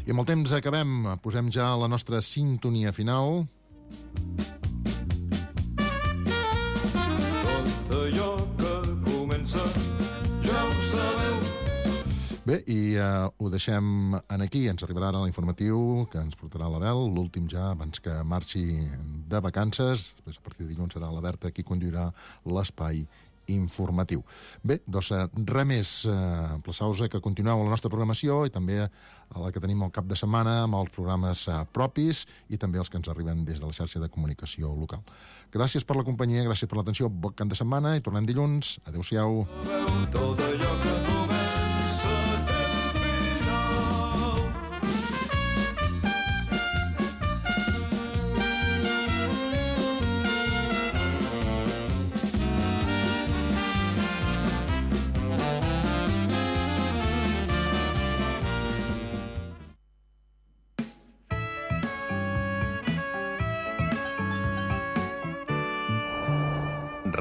I amb el temps acabem. Posem ja la nostra sintonia final. Tot allò que comença ja ho sabeu. Bé, i ho deixem aquí. Ens arribarà ara l'informatiu que ens portarà l'Abel, l'últim ja abans que marxi de vacances. Després, a partir de dilluns, serà la Berta qui conduirà l'espai informatiu. Bé, doncs res més. Emplaçau-vos que continueu la nostra programació i també a la que tenim el cap de setmana amb els programes propis i també els que ens arriben des de la xarxa de comunicació local. Gràcies per la companyia, gràcies per l'atenció. Bon cap de setmana i tornem dilluns. Adéu-siau. Tot allò que comença té final.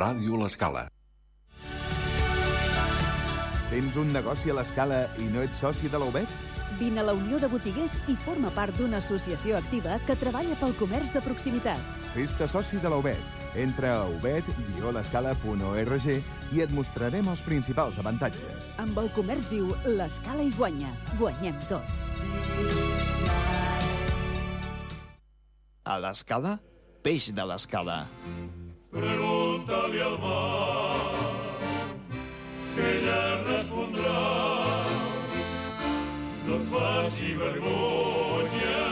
Ràdio L'Escala. Tens un negoci a l'Escala i no ets soci de la UBEC? Vine a la Unió de Botiguers i forma part d'una associació activa que treballa pel comerç de proximitat. Fes-te soci de la UBEC. Entra a ubed-l'escala.org i et mostrarem els principals avantatges. Amb el comerç viu, l'Escala hi guanya. Guanyem tots. A l'Escala, peix de l'Escala. Pregunta-li al mar, que ella respondrà. No et faci vergonya,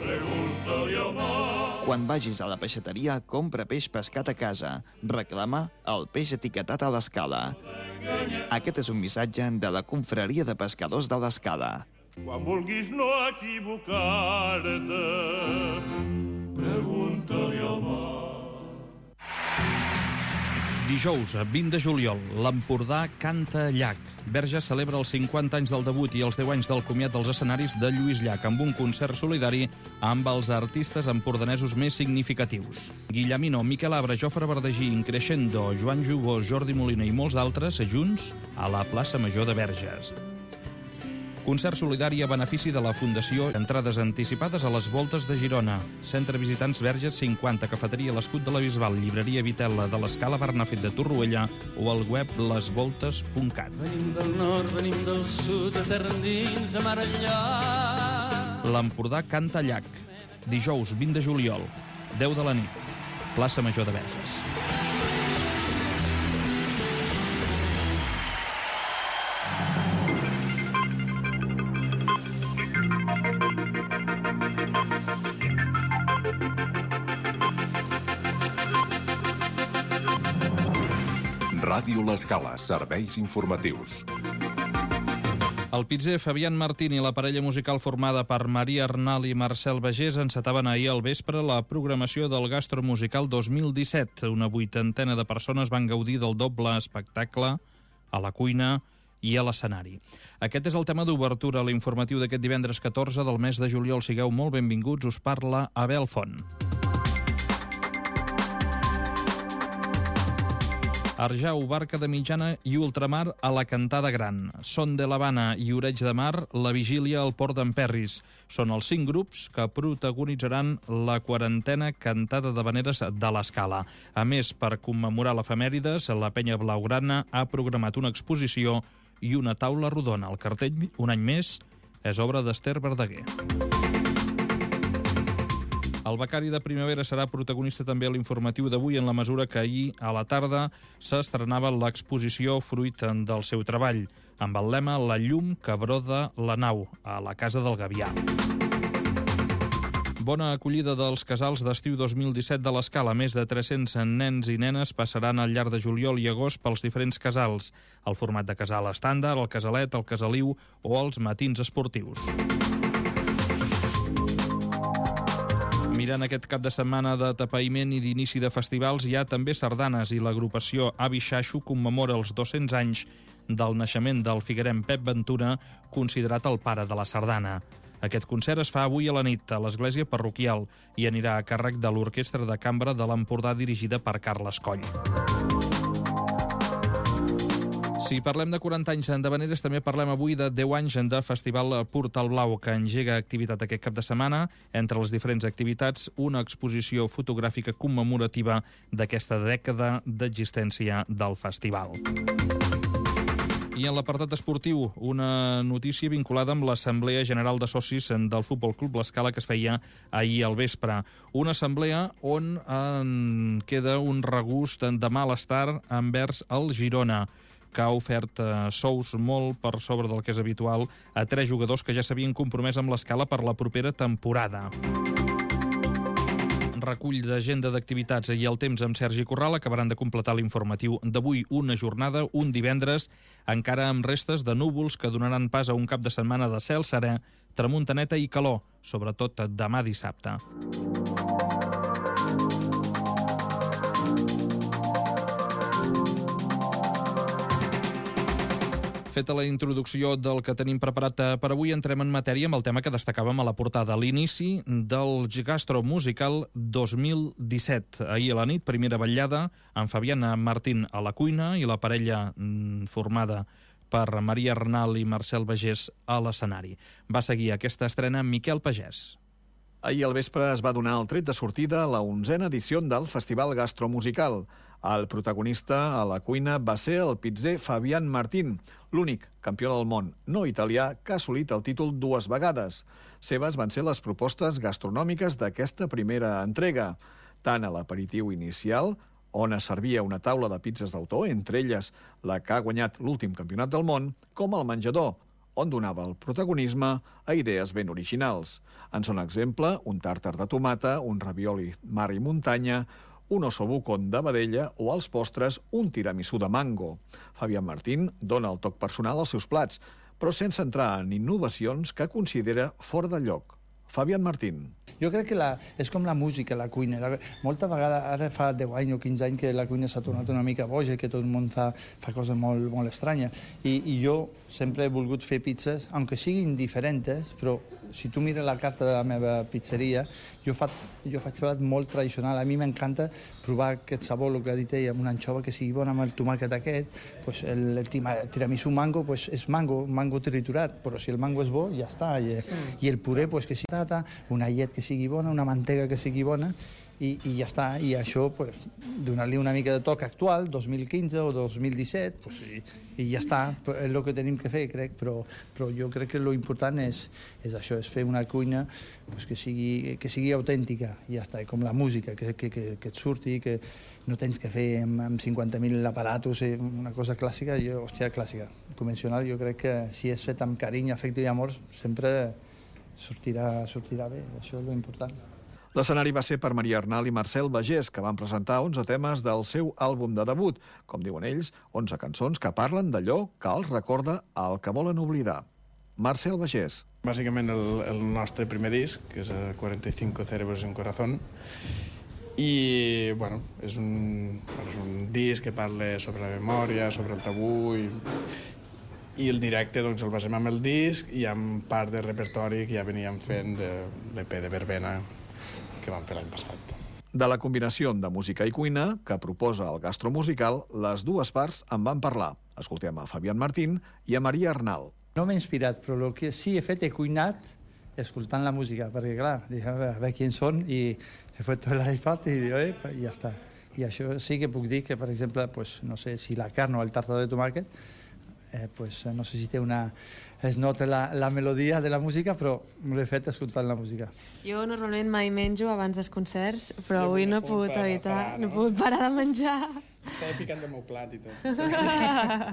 pregunta-li al mar. Quan vagis a la peixateria, compra peix pescat a casa. Reclama el peix etiquetat a l'Escala. Aquest és un missatge de la Confraria de Pescadors de l'Escala. Quan vulguis no equivocar-te, pregunta-li al mar. Dijous, 20 de juliol, l'Empordà canta Llach. Verges celebra els 50 anys del debut i els 10 anys del comiat dels escenaris de Lluís Llach amb un concert solidari amb els artistes empordanesos més significatius. Guillemino, Miquel Abra, Jofre Verdagí, Increscendo, Joan Jubós, Jordi Molina i molts d'altres junts a la plaça Major de Verges. Concert solidari a benefici de la Fundació. Entrades anticipades a les Voltes de Girona. Centre Visitants Verges 50, Cafeteria l'Escut de la Bisbal, Llibreria Vitella de l'Escala Bernafet de Torroella o al web lesvoltes.cat. Venim del nord, venim del sud, de terra endins, a mar enllà. L'Empordà canta Llach. Dijous, 20 de juliol, 10 de la nit, plaça Major de Verges. Ràdio L'Escala, serveis informatius. El pizzer Fabián Martín i la parella musical formada per Maria Arnal i Marcel Bagés encetaven ahir al vespre la programació del Gastromusical 2017. Una 80ena de persones van gaudir del doble espectacle a la cuina i a l'escenari. Aquest és el tema d'obertura a l'informatiu d'aquest divendres 14 del mes de juliol. Sigueu molt benvinguts, us parla Abel Font. Arjau, Barca de Mitjana i Ultramar a la Cantada Gran. Son de l'Havana i Oreig de Mar, la vigília al Port d'Emperris. Són els 5 grups que protagonitzaran la 40a Cantada d'Havaneres de l'Escala. A més, per commemorar l'efemèrides, la Penya Blaugrana ha programat una exposició i una taula rodona. El cartell, un any més, és obra d'Ester Verdaguer. El becari de primavera serà protagonista també a l'informatiu d'avui en la mesura que ahir a la tarda s'estrenava l'exposició fruit del seu treball, amb el lema La llum que broda la nau, a la Casa del Gavià. Bona acollida dels casals d'estiu 2017 de l'Escala. Més de 300 nens i nenes passaran al llarg de juliol i agost pels diferents casals. El format de casal estàndard, el casalet, el casaliu o els matins esportius. Mirant aquest cap de setmana de tapaïment i d'inici de festivals, hi ha també sardanes i l'agrupació Avi Xaixo commemora els 200 anys del naixement del figuerem Pep Ventura, considerat el pare de la sardana. Aquest concert es fa avui a la nit a l'església parroquial i anirà a càrrec de l'Orquestra de Cambra de l'Empordà dirigida per Carles Coll. Si parlem de 40 anys d'Havaneres, també parlem avui de 10 anys de Festival Portal Blau, que engega activitat aquest cap de setmana. Entre les diferents activitats, una exposició fotogràfica commemorativa d'aquesta dècada d'existència del festival. I en l'apartat esportiu, una notícia vinculada amb l'Assemblea General de Socis del Futbol Club L'Escala que es feia ahir al vespre. Una assemblea on queda un regust de malestar envers el Girona, que ha ofert sous molt per sobre del que és habitual a 3 jugadors que ja s'havien compromès amb l'Escala per la propera temporada. Recull d'agenda d'activitats i el temps amb Sergi Corral acabaran de completar l'informatiu d'avui, una jornada, un divendres, encara amb restes de núvols que donaran pas a un cap de setmana de cel serè, tramuntaneta i calor, sobretot demà dissabte. Feta la introducció del que tenim preparat per avui, entrem en matèria amb el tema que destacàvem a la portada, l'inici del Gastro Musical 2017. Ahir a la nit, primera vetllada, amb Fabián Martín a la cuina i la parella formada per Maria Arnal i Marcel Bagés a l'escenari. Va seguir aquesta estrena Miquel Pagès. Ahir al vespre es va donar el tret de sortida a la 11a edició del Festival Gastro Musical. El protagonista a la cuina va ser el pizzer Fabián Martín, l'únic campió del món no italià que ha assolit el títol 2 vegades. Seves van ser les propostes gastronòmiques d'aquesta primera entrega, tant a l'aperitiu inicial, on es servia una taula de pizzas d'autor, entre elles la que ha guanyat l'últim campionat del món, com al menjador, on donava el protagonisme a idees ben originals. En són exemple un tàrtar de tomata, un ravioli mar i muntanya, un ossobuco de vedella o als postres un tiramisú de mango. Fabián Martín dona el toc personal als seus plats, però sense entrar en innovacions que considera fora de lloc. Fabián Martín. Jo crec que és com la música, la cuina. Molta vegada, ara fa 10 anys o 15 anys que la cuina s'ha tornat una mica boja, que tot el món fa coses molt, molt estranyes. I jo sempre he volgut fer pizzas, aunque siguin diferents, però si tu mires la carta de la meva pizzeria, jo faig plat molt tradicional. A mi m'encanta provar aquest sabor, el que ha dit ella, amb una anxova que sigui bona, amb el tomàquet aquest. Pues el tiramisú mango pues és mango triturat, però si el mango és bo, ja està. I el puré, pues, que sigui tata, una llet que sigui bona, una mantega que sigui bona, i ja està. I això, pues, donar-li una mica de toc actual, 2015 o 2017, pues, i ja està. És el que tenim que fer, crec, però jo crec que l'important és això, és fer una cuina pues, que sigui autèntica, i ja està, com la música, que et surti, que no tens que fer amb 50.000 aparatos, una cosa clàssica, clàssica. Convencional, jo crec que si és fet amb carinyo, afecte i amor, sempre sortirà bé, això és l'important. L'escenari va ser per Maria Arnal i Marcel Bagés, que van presentar 11 temes del seu àlbum de debut, com diuen ells, 11 cançons que parlen d'allò que els recorda el que volen oblidar. Marcel Bagés. Bàsicament el nostre primer disc, que és 45 cerebros en corazón, i bueno, és un disc que parla sobre la memòria, sobre el tabú, i el directe doncs, el basem amb el disc i amb part de repertori que ja veníem fent de l'EP de Verbena que vam fer l'any passat. De la combinació de música i cuina que proposa el Gastro Musical, les dues parts en van parlar. Escoltem a Fabián Martín i a Maria Arnal. No m'he inspirat, però el que sí he fet, he cuinat escoltant la música, perquè clar, dic, a veure qui són, i he fet tot l'iPad i ja està. I això sí que puc dir que, per exemple, pues, no sé si la carn o el tàrtar de tomàquet, pues, no sé si té es nota la melodia de la música, però l'he fet escoltant la música. Jo normalment mai menjo abans dels concerts, però avui no he pogut evitar, no he pogut parar de menjar. Estava picant el meu plat i tot.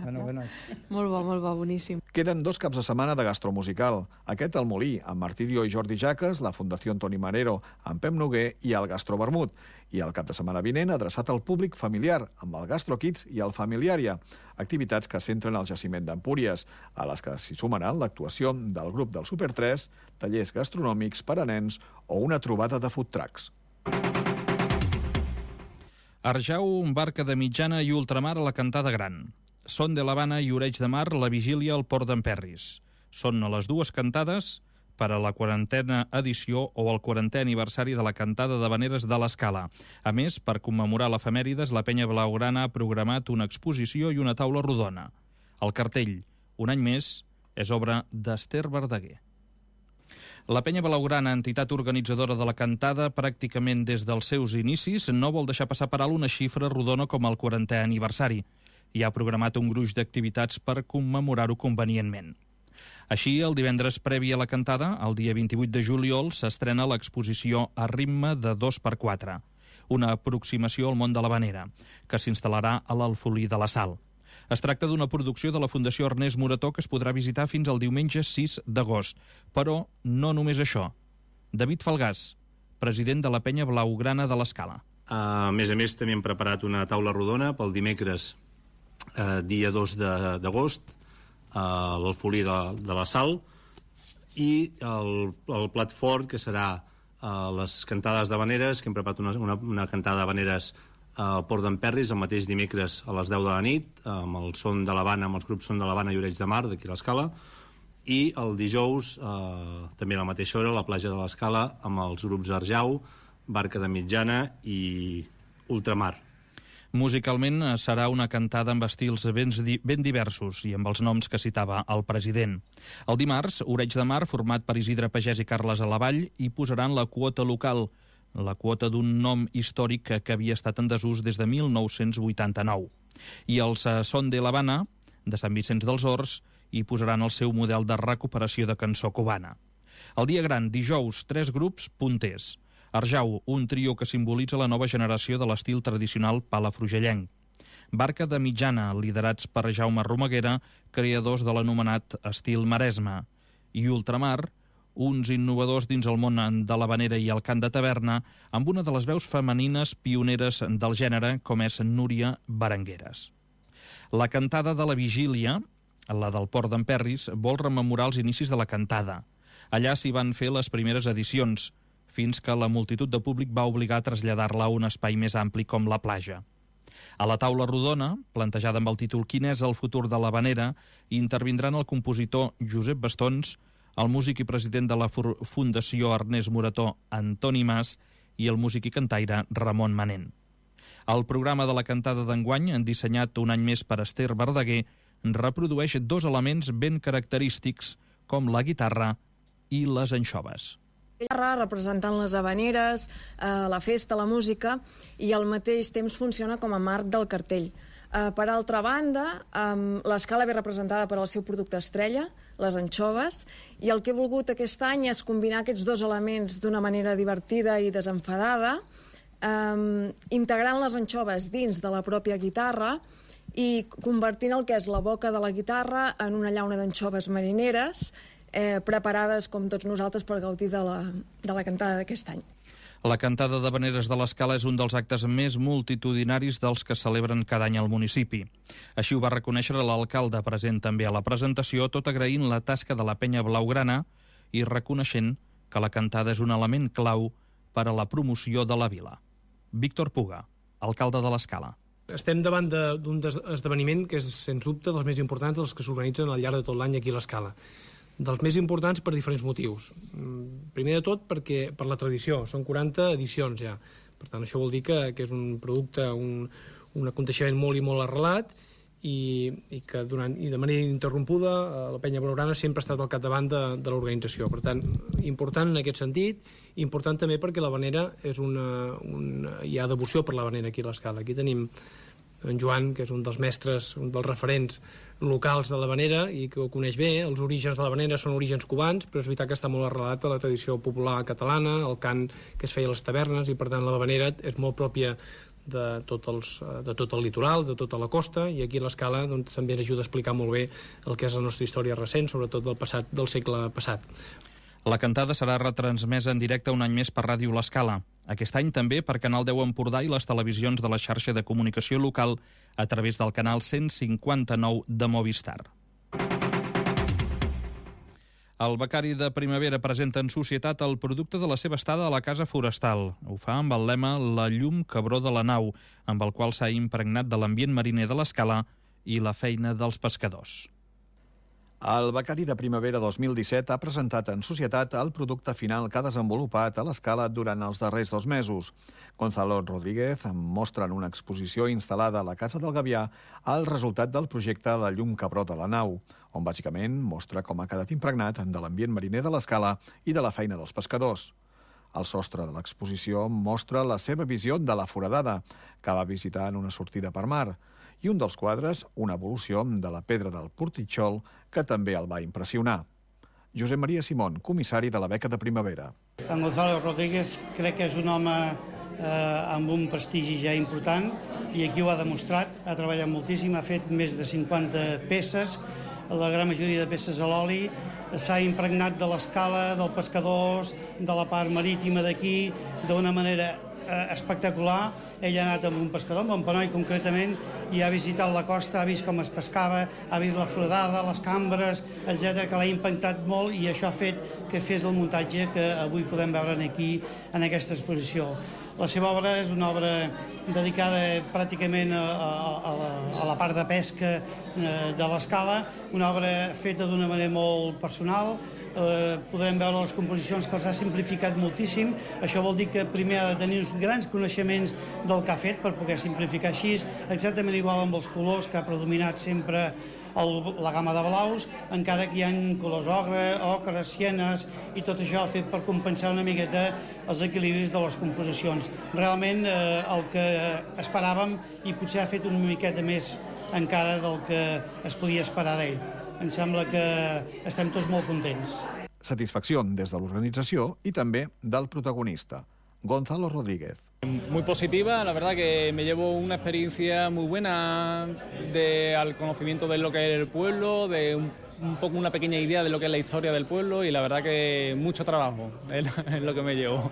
Bueno. Molt bo, boníssim. Queden 2 caps de setmana de gastromusical. Aquest al Molí, amb Martirio i Jordi Jaques, la Fundació Antoni Manero, amb Pep Noguer i el Gastro Vermut. I el cap de setmana vinent adreçat al públic familiar, amb el Gastro Kids i el Familiària. Activitats que centren al jaciment d'Empúries, a les que s'hi sumaran l'actuació del grup del Super 3, tallers gastronòmics per a nens o una trobada de food trucks. Arjau, barca de mitjana i ultramar a la Cantada Gran. Son de l'Havana i Oreig de Mar, la vigília al Port d'Emperris. Són a les dues cantades per a la 40a edició o el 40è aniversari de la cantada d'havaneres de l'Escala. A més, per commemorar l'efemèrides, la Penya Blaugrana ha programat una exposició i una taula rodona. El cartell, un any més, és obra d'Ester Verdaguer. La Penya Blaugrana, entitat organitzadora de la cantada, pràcticament des dels seus inicis, no vol deixar passar per alt una xifra rodona com el 40è aniversari. I ha programat un gruix d'activitats per commemorar-ho convenientment. Així, el divendres previ a la cantada, el dia 28 de juliol, s'estrena l'exposició A ritme de 2x4, una aproximació al món de l'havanera, que s'instal·larà a l'Alfolí de la Sal. Es tracta d'una producció de la Fundació Ernest Morató que es podrà visitar fins al diumenge 6 d'agost. Però no només això. David Falgàs, president de la Penya Blaugrana de l'Escala. A més, també hem preparat una taula rodona pel dimecres, dia 2 d'agost, a l'Alfolí de la Sal, i el plat fort, que serà les cantades d'havaneres, que hem preparat una cantada d'havaneres al Port d'Emperris el mateix dimecres a les 10 de la nit, amb el Son de l'Havana, amb els grups Son de l'Havana i Llorenç de Mar, d'aquí a l'Escala, i el dijous, també a la mateixa hora, a la platja de l'Escala, amb els grups Arjau, Barca de Mitjana i Ultramar. Musicalment serà una cantada amb estils ben diversos i amb els noms que citava el president. El dimarts, Oreig de Mar, format per Isidre Pagès i Carles Alavall, hi posaran la quota local, la quota d'un nom històric que havia estat en desús des de 1989. I els Son de l'Havana, de Sant Vicenç dels Horts, hi posaran el seu model de recuperació de cançó cubana. El dia gran, dijous, 3 grups punters. Arjau, un trio que simbolitza la nova generació de l'estil tradicional palafrugellenc. Barca de Mitjana, liderats per Jaume Romaguera, creadors de l'anomenat estil Maresme. I Ultramar, uns innovadors dins el món de l'havanera i el cant de taverna, amb una de les veus femenines pioneres del gènere, com és Núria Berengueres. La cantada de la Vigília, la del Port d'Emperris, vol rememorar els inicis de la cantada. Allà s'hi van fer les primeres edicions, fins que la multitud de públic va obligar a traslladar-la a un espai més ampli com la platja. A la taula rodona, plantejada amb el títol «Quin és el futur de l'havanera?», intervindran el compositor Josep Bastons, el músic i president de la Fundació Ernest Morató, Antoni Mas, i el músic i cantaire Ramon Manent. El programa de la cantada d'enguany, dissenyat un any més per Ester Verdaguer, reprodueix 2 elements ben característics, com la guitarra i les anxoves. Representant les havaneres, la festa, la música, i al mateix temps funciona com a marc del cartell. Per altra banda, l'Escala ve representada per el seu producte estrella, les anxoves, i el que he volgut aquest any és combinar aquests 2 elements d'una manera divertida i desenfadada, integrant les anxoves dins de la pròpia guitarra i convertint el que és la boca de la guitarra en una llauna d'anxoves marineres, preparades, com tots nosaltres, per gaudir de la cantada d'aquest any. La cantada d'havaneres de l'Escala és un dels actes més multitudinaris dels que celebren cada any al municipi. Així ho va reconèixer l'alcalde present també a la presentació, tot agraint la tasca de la Penya Blaugrana i reconeixent que la cantada és un element clau per a la promoció de la vila. Víctor Puga, alcalde de l'Escala. Estem davant d'un esdeveniment que és, sens dubte, dels més importants dels que s'organitzen al llarg de tot l'any aquí a l'Escala. Dels més importants per diferents motius. Primer de tot perquè per la tradició, són 40 edicions ja. Per tant, això vol dir que és un producte, un aconteixement molt i molt arrelat i que de manera ininterrompuda la Penya Blaugrana sempre ha estat al capdavant de l'organització. Per tant, important en aquest sentit, important també perquè l'havanera és hi ha devoció per l'havanera aquí a l'Escala. Aquí tenim en Joan, que és un dels mestres, un dels referents locals de l'havanera i que ho coneix bé. Els orígens de l'havanera són orígens cubans, però és veritat que està molt arrelat a la tradició popular catalana, el cant que es feia a les tavernes, i per tant l'havanera és molt pròpia de tot el litoral, de tota la costa, i aquí a l'Escala també ens ajuda a explicar molt bé el que és la nostra història recent, sobretot del segle passat. La cantada serà retransmesa en directe un any més per Ràdio l'Escala. Aquest any també per Canal 10 Empordà i les televisions de la xarxa de comunicació local a través del canal 159 de Movistar. El becari de primavera presenta en societat el producte de la seva estada a la Casa Forestal. Ho fa amb el lema La llum que broda la nau, amb el qual s'ha impregnat de l'ambient mariner de l'Escala i la feina dels pescadors. El Becari de Primavera 2017 ha presentat en societat el producte final que ha desenvolupat a l'Escala durant els darrers 2 mesos. Gonzalo Rodríguez mostra en una exposició instal·lada a la Casa del Gavià el resultat del projecte La llum que brota a la nau, on bàsicament mostra com ha quedat impregnat de l'ambient mariner de l'Escala i de la feina dels pescadors. El sostre de l'exposició mostra la seva visió de la foradada, que va visitar en una sortida per mar, i un dels quadres, una evolució de la pedra del Portitxol, que també el va impressionar. Josep Maria Simón, comissari de la Beca de Primavera. En Gonzalo Rodríguez crec que és un home amb un prestigi ja important i aquí ho ha demostrat, ha treballat moltíssim, ha fet més de 50 peces, la gran majoria de peces a l'oli, s'ha impregnat de l'escala, dels pescadors, de la part marítima d'aquí, d'una manera espectacular. Ell ha anat amb un pescador, amb un panoi concretament, i ha visitat la costa, ha vist com es pescava, ha vist la foradada, les cambres, etc, que l'ha impactat molt i això ha fet que fes el muntatge que avui podem veure aquí en aquesta exposició. La seva obra és una obra dedicada pràcticament a la part de pesca de l'Escala, una obra feta d'una manera molt personal. Podrem veure les composicions que els ha simplificat moltíssim. Això vol dir que primer ha de tenir uns grans coneixements del que ha fet per poder simplificar així, exactament igual amb els colors que ha predominat sempre la gamma de blaus, encara que hi ha colors ocres, sienes, i tot això ha fet per compensar una miqueta els equilibris de les composicions. Realment el que esperàvem, i potser ha fet una miqueta més encara del que es podia esperar d'ell. Em sembla que estem tots molt contents. Satisfacció des de l'organització i també del protagonista, Gonzalo Rodríguez. Muy positiva, la verdad que me llevo una experiencia muy buena al conocimiento de lo que es el pueblo, de un poco una pequeña idea de lo que es la historia del pueblo y la verdad que mucho trabajo es lo que me llevo.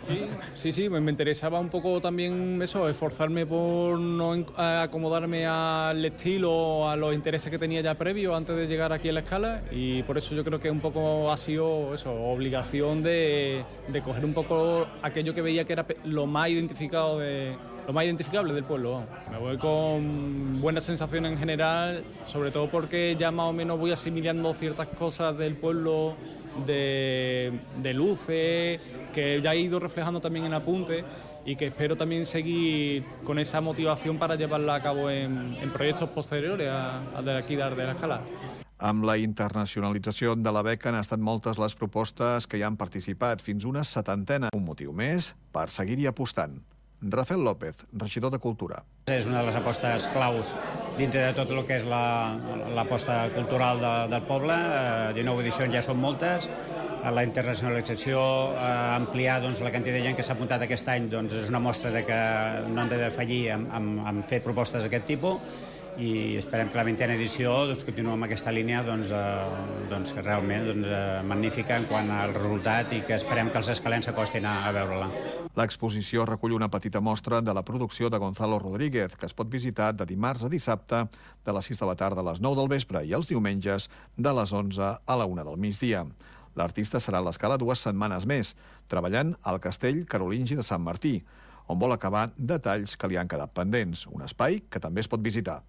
Sí, me interesaba un poco también eso, esforzarme por no acomodarme al estilo, a los intereses que tenía ya previo antes de llegar aquí a la Escala y por eso yo creo que un poco ha sido eso, obligación de coger un poco aquello que veía que era lo más identificable del pueblo. Vamos. Me voy con buenas sensaciones en general, sobre todo porque ya más o menos voy asimilando ciertas cosas del pueblo, de luces, que ya he ido reflejando también en apuntes y que espero también seguir con esa motivación para llevarla a cabo en proyectos posteriores a de aquí de la Escala. Amb la internacionalització de la beca han estat moltes les propostes que hi han participat, fins una 70. Un motiu més per seguir-hi apostant. Rafael López, regidor de Cultura. És una de les apostes claus dintre de tot el que és l'aposta cultural del poble. 19 edicions ja són moltes. La internacionalització, ampliar la quantitat de gent que s'ha apuntat aquest any, és una mostra de que no han de defallir en fer propostes d'aquest tipus i esperem que la 20a edició continuï amb aquesta línia que realment magnífica en quant al resultat i que esperem que els escalents s'acostin a veure-la. L'exposició recull una petita mostra de la producció de Gonzalo Rodríguez, que es pot visitar de dimarts a dissabte de les 6 de la tarda a les 9 del vespre i els diumenges de les 11 a la 1 del migdia. L'artista serà a l'Escala 2 setmanes més, treballant al castell carolingi de Sant Martí, on vol acabar detalls que li han quedat pendents, un espai que també es pot visitar.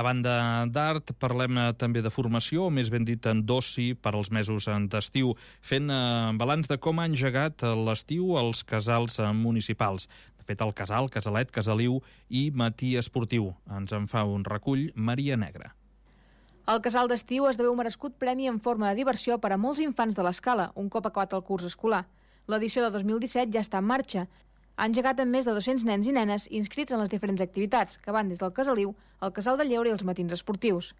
A banda d'art, parlem també de formació, o més ben dit d'oci per als mesos d'estiu, fent balanç de com ha engegat l'estiu als casals municipals. De fet, el casal, casalet, casaliu i matí esportiu. Ens en fa un recull Maria Negra. El casal d'estiu esdevé un merescut premi en forma de diversió per a molts infants de l'Escala, un cop acabat el curs escolar. L'edició de 2017 ja està en marxa. Ha engegat amb més de 200 nens i nenes inscrits en les diferents activitats, que van des del casaliu, el casal de lleure i els matins esportius.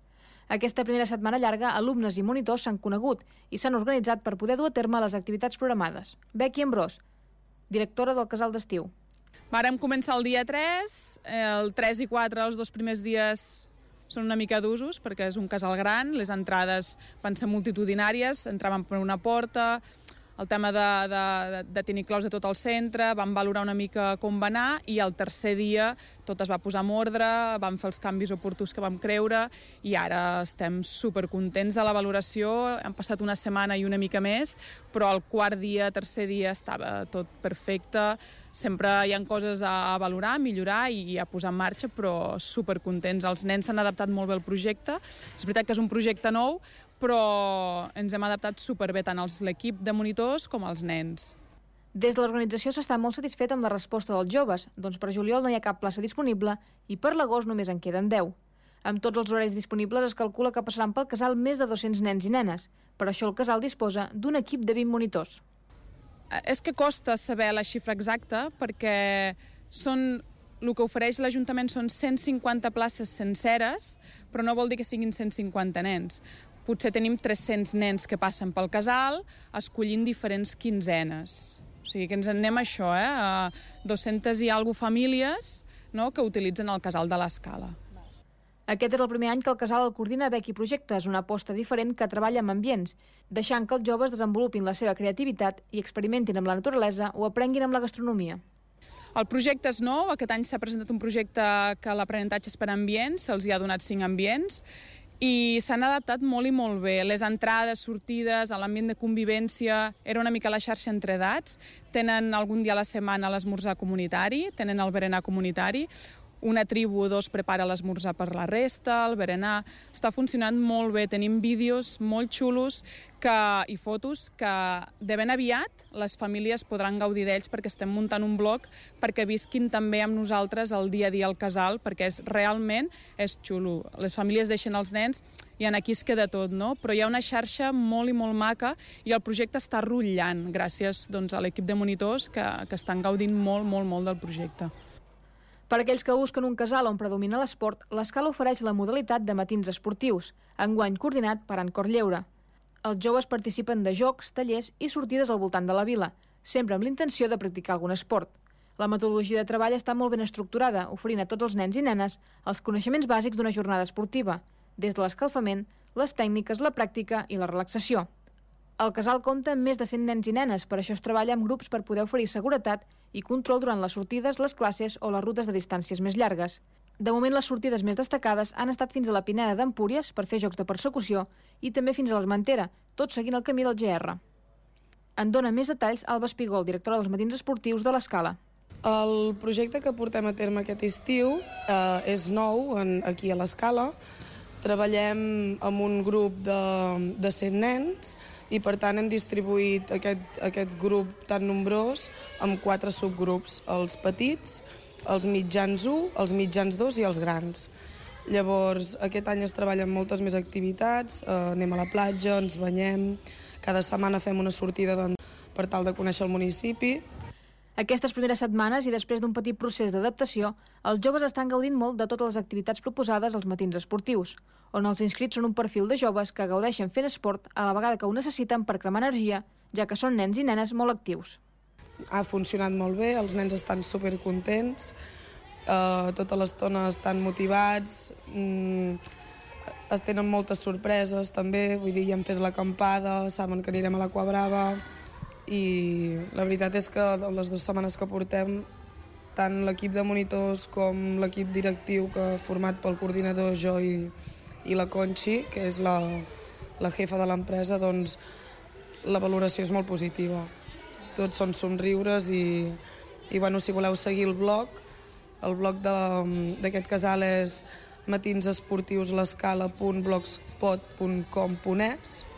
Aquesta primera setmana llarga, alumnes i monitors s'han conegut i s'han organitzat per poder dur a terme les activitats programades. Becky Ambrós, directora del casal d'estiu. Vàrem començar el dia 3, el 3 i 4, els 2 primers dies són una mica d'usos perquè és un casal gran, les entrades van ser multitudinàries, entraven per una porta, el tema de tenir claus de tot el centre, vam valorar una mica com va anar i el tercer dia tot es va posar en ordre, vam fer els canvis oportuns que vam creure i ara estem supercontents de la valoració. Han passat una setmana i una mica més, però el quart dia, tercer dia estava tot perfecte. Sempre hi ha coses a valorar, a millorar i a posar en marxa, però supercontents. Els nens s'han adaptat molt bé al projecte. És veritat que és un projecte nou, però ens hem adaptat superbé tant l'equip de monitors com els nens. Des de l'organització s'està molt satisfet amb la resposta dels joves, doncs per juliol no hi ha cap plaça disponible i per l'agost només en queden 10. Amb tots els horaris disponibles es calcula que passaran pel casal més de 200 nens i nenes. Per això el casal disposa d'un equip de 20 monitors. És que costa saber la xifra exacta perquè el que ofereix l'Ajuntament són 150 places senceres, però no vol dir que siguin 150 nens. Potser tenim 300 nens que passen pel casal escollint diferents quinzenes. O sigui que ens en anem a això, a 200 i alguna famílies que utilitzen el casal de l'Escala. Aquest és el primer any que el casal el coordina Becky Projectes, una aposta diferent que treballa amb ambients, deixant que els joves desenvolupin la seva creativitat i experimentin amb la naturalesa o aprenguin amb la gastronomia. El projecte és nou, aquest any s'ha presentat un projecte que l'aprenentatge és per ambients, se'ls hi ha donat 5 ambients, i s'han adaptat molt i molt bé. Les entrades, sortides, l'ambient de convivència, era una mica la xarxa entre edats. Tenen algun dia a la setmana l'esmorzar comunitari, tenen el berenar comunitari, una tribu o dos prepara l'esmorzar per la resta, el berenar. Està funcionant molt bé, tenim vídeos molt xulos i fotos que de ben aviat les famílies podran gaudir d'ells perquè estem muntant un blog perquè visquin també amb nosaltres el dia a dia al casal, perquè realment és xulo. Les famílies deixen els nens i aquí es queda tot, no? Però hi ha una xarxa molt i molt maca i el projecte està rutllant gràcies a l'equip de monitors que estan gaudint molt, molt, molt del projecte. Per aquells que busquen un casal on predomina l'esport, l'Escala ofereix la modalitat de matins esportius, enguany coordinat per Encor Lleure. Els joves participen de jocs, tallers i sortides al voltant de la vila, sempre amb l'intenció de practicar algun esport. La metodologia de treball està molt ben estructurada, oferint a tots els nens i nenes els coneixements bàsics d'una jornada esportiva, des de l'escalfament, les tècniques, la pràctica i la relaxació. El casal compta amb més de 100 nens i nenes, per això es treballa amb grups per poder oferir seguretat i control durant les sortides, les classes o les rutes de distàncies més llargues. De moment, les sortides més destacades han estat fins a la Pineda d'Empúries per fer jocs de persecució i també fins a l'Armentera, tot seguint el camí del GR. En dona més detalls Alba Espigol, directora dels matins esportius de l'Escala. El projecte que portem a terme aquest estiu és nou aquí a l'Escala. Treballem amb un grup de 100 nens i, per tant, hem distribuït aquest grup tan nombrós en 4 subgrups, els petits, els mitjans 1, els mitjans 2 i els grans. Llavors, aquest any es treballa amb moltes més activitats, anem a la platja, ens banyem, cada setmana fem una sortida per tal de conèixer el municipi. Aquestes primeres setmanes i després d'un petit procés d'adaptació, els joves estan gaudint molt de totes les activitats proposades als matins esportius, on els inscrits són un perfil de joves que gaudeixen fent esport a la vegada que ho necessiten per cremar energia, ja que són nens i nenes molt actius. Ha funcionat molt bé, els nens estan supercontents, tota l'estona estan motivats, es tenen moltes sorpreses també, vull dir, ja hem fet l'acampada, saben que anirem a l'Aqua Brava, i la veritat és que les 2 setmanes que portem, tant l'equip de monitors com l'equip directiu que format pel coordinador, jo i la Conxi, que és la jefa de l'empresa, doncs la valoració és molt positiva. Tots són somriures i bueno, si voleu seguir el blog d'aquest casal és matinsesportiuslescala.blogspot.com.es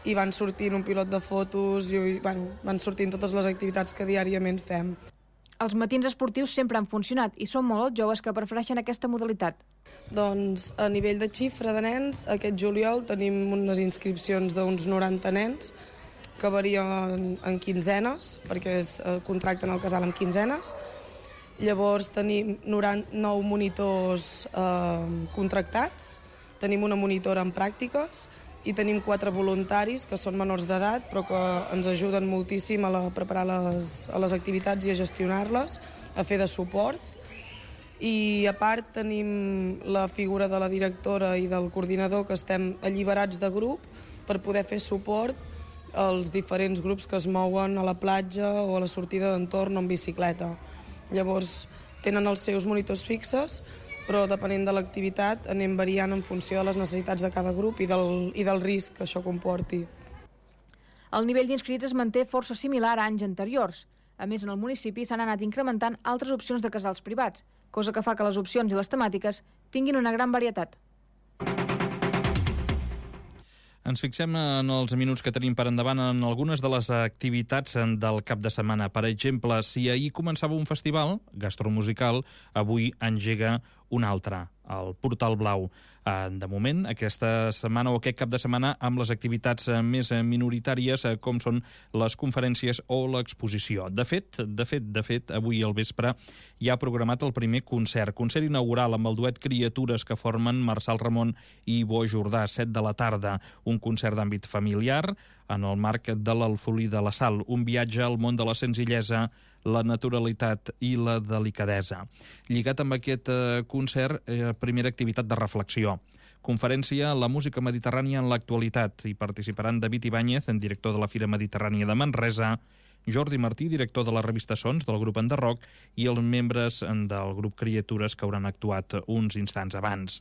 i van sortint un pilot de fotos i van sortint totes les activitats que diàriament fem. Els matins esportius sempre han funcionat i són molt els joves que prefereixen aquesta modalitat. Doncs a nivell de xifra de nens, aquest juliol tenim unes inscripcions d'uns 90 nens que varien en quinzenes, perquè contracten el casal amb quinzenes. Llavors tenim 9 monitors contractats, tenim una monitora en pràctiques i tenim 4 voluntaris que són menors d'edat però que ens ajuden moltíssim a preparar les activitats i a gestionar-les, a fer de suport. I a part tenim la figura de la directora i del coordinador que estem alliberats de grup per poder fer suport els diferents grups que es mouen a la platja o a la sortida d'entorn o en bicicleta. Llavors, tenen els seus monitors fixes, però depenent de l'activitat anem variant en funció de les necessitats de cada grup i del risc que això comporti. El nivell d'inscrits es manté força similar a anys anteriors. A més, en el municipi s'han anat incrementant altres opcions de casals privats, cosa que fa que les opcions i les temàtiques tinguin una gran varietat. Ens fixem en els minuts que tenim per endavant en algunes de les activitats del cap de setmana. Per exemple, si ahir començava un festival gastromusical, avui engega un altre, el Portal Blau. De moment, aquesta setmana o aquest cap de setmana, amb les activitats més minoritàries, com són les conferències o l'exposició. De fet, avui al vespre hi ha programat el primer concert inaugural amb el duet Criatures que formen Marçal Ramon i Bo Jordà, 7 de la tarda. Un concert d'àmbit familiar en el marc de l'Alfolí de la Sal, un viatge al món de la senzillesa, la naturalitat i la delicadesa. Lligat amb aquest concert, primera activitat de reflexió. Conferència La música mediterrània en l'actualitat. Hi participaran David Ibáñez, director de la Fira Mediterrània de Manresa, Jordi Martí, director de la revista Sons, del grup Enderroc, i els membres del grup Criatures que hauran actuat uns instants abans.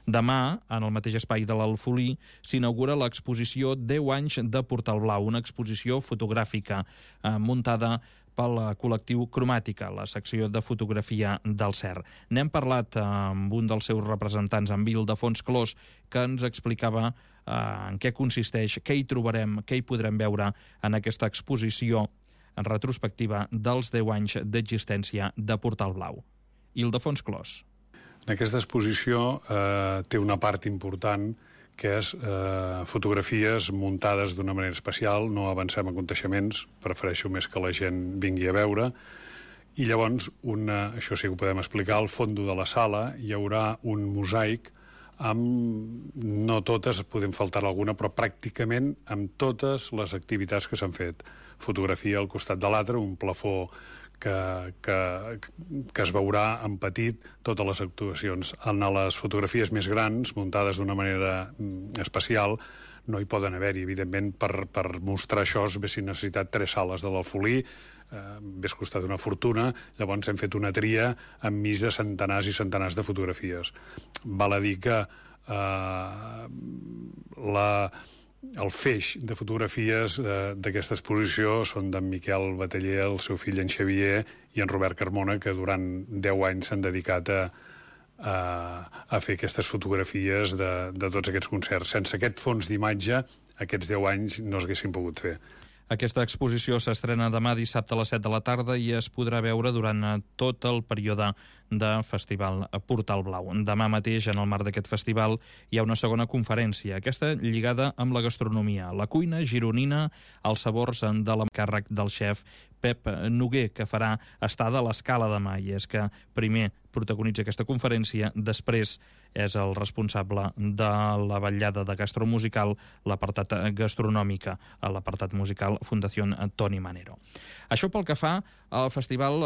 Demà, en el mateix espai de l'Alfolí, s'inaugura l'exposició 10 anys de Portal Blau, una exposició fotogràfica muntada pel col·lectiu Cromàtica, la secció de fotografia del CER. N'hem parlat amb un dels seus representants, amb Ildefons Clos, que ens explicava en què consisteix, què hi trobarem, què hi podrem veure en aquesta exposició en retrospectiva dels 10 anys d'existència de Portal Blau. Ildefons Clos. En aquesta exposició té una part important que és fotografies muntades d'una manera especial, no avancem a aconteixements, prefereixo més que la gent vingui a veure, i llavors, això sí que ho podem explicar, al fons de la sala hi haurà un mosaic amb, no totes, podem faltar alguna, però pràcticament amb totes les activitats que s'han fet. Fotografia al costat de l'altre, un plafó que es veurà en petit totes les actuacions. En les fotografies més grans, muntades d'una manera especial, no hi poden haver-hi. Evidentment, per mostrar això s'haguessin necessitat 3 sales de l'Alfolí, hauria costat una fortuna, llavors hem fet una tria enmig de centenars i centenars de fotografies. Val a dir que el feix de fotografies d'aquesta exposició són d'en Miquel Bataller, el seu fill en Xavier i en Robert Carmona, que durant 10 anys s'han dedicat a fer aquestes fotografies de tots aquests concerts. Sense aquest fons d'imatge, aquests 10 anys no s'haguessin pogut fer. Aquesta exposició s'estrena demà dissabte a les 7 de la tarda i es podrà veure durant tot el període de Festival Portal Blau. Demà mateix, en el marc d'aquest festival, hi ha una segona conferència, aquesta lligada amb la gastronomia, la cuina gironina, els sabors de l'encàrrec del xef Pep Noguer, que farà estada a l'Escala demà. I és que primer protagonitza aquesta conferència, després és el responsable de la vetllada de gastromusical, l'apartat gastronòmica, l'apartat musical Fundació Toni Manero. Això pel que fa al festival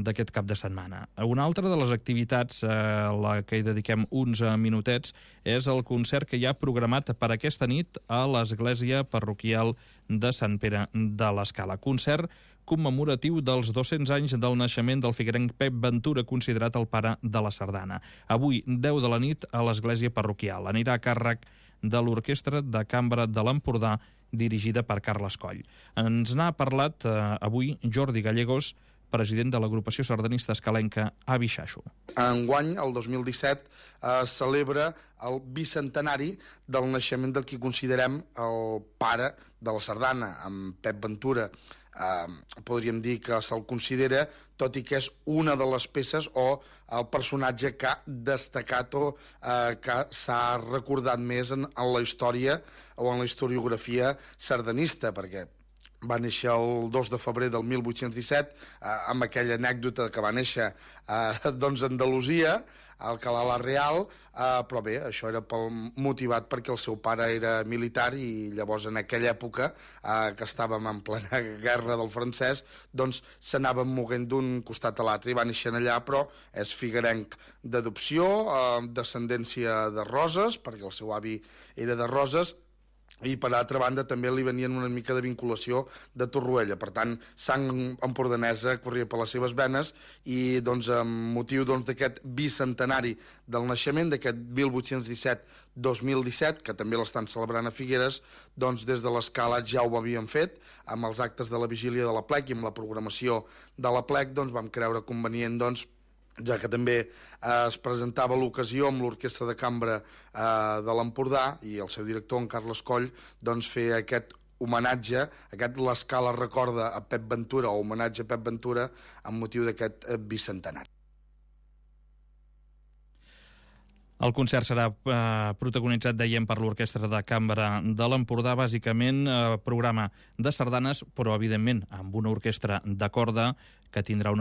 d'aquest cap de setmana. Una altra de les activitats a la que hi dediquem uns minutets és el concert que hi ha programat per aquesta nit a l'Església Parroquial de Sant Pere de l'Escala. Concert commemoratiu dels 200 anys del naixement del figuerenc Pep Ventura, considerat el pare de la sardana. Avui, 10 de la nit, a l'Església Parroquial. Anirà a càrrec de l'Orquestra de Cambra de l'Empordà, dirigida per Carles Coll. Ens n'ha parlat avui Jordi Gallegos, president de l'agrupació sardanista escalenca Avi Xaxo. Enguany, el 2017, celebra el bicentenari del naixement del que considerem el pare de la sardana, amb Pep Ventura. Podríem dir que se'l considera, tot i que és una de les peces o el personatge que ha destacat o que s'ha recordat més en la història o en la historiografia sardanista, perquè va néixer el 2 de febrer del 1817, amb aquella anècdota que va néixer a Andalusia, a Alcalá la Real, però bé, això era motivat perquè el seu pare era militar i llavors en aquella època, que estàvem en plena guerra del francès, doncs s'anaven moguent d'un costat a l'altre i va néixer allà, però és figuerenc d'adopció, descendència de Roses, perquè el seu avi era de Roses, i per altra banda també li venien una mica de vinculació de Torroella, per tant sang empordanesa corria per les seves venes i doncs amb motiu d'aquest bicentenari del naixement, d'aquest 1817-2017, que també l'estan celebrant a Figueres, doncs des de l'Escala ja ho havien fet amb els actes de la vigília de l'Aplec i amb la programació de l'Aplec, doncs vam creure convenient ja que també es presentava l'ocasió amb l'Orquestra de Cambra de l'Empordà i el seu director, en Carles Coll, doncs fer aquest homenatge, l'Escala recorda a Pep Ventura, o homenatge a Pep Ventura, amb motiu d'aquest bicentenari. El concert serà protagonitzat, dèiem, per l'Orquestra de Cambra de l'Empordà, bàsicament programa de sardanes, però evidentment amb una orquestra de corda que tindrà una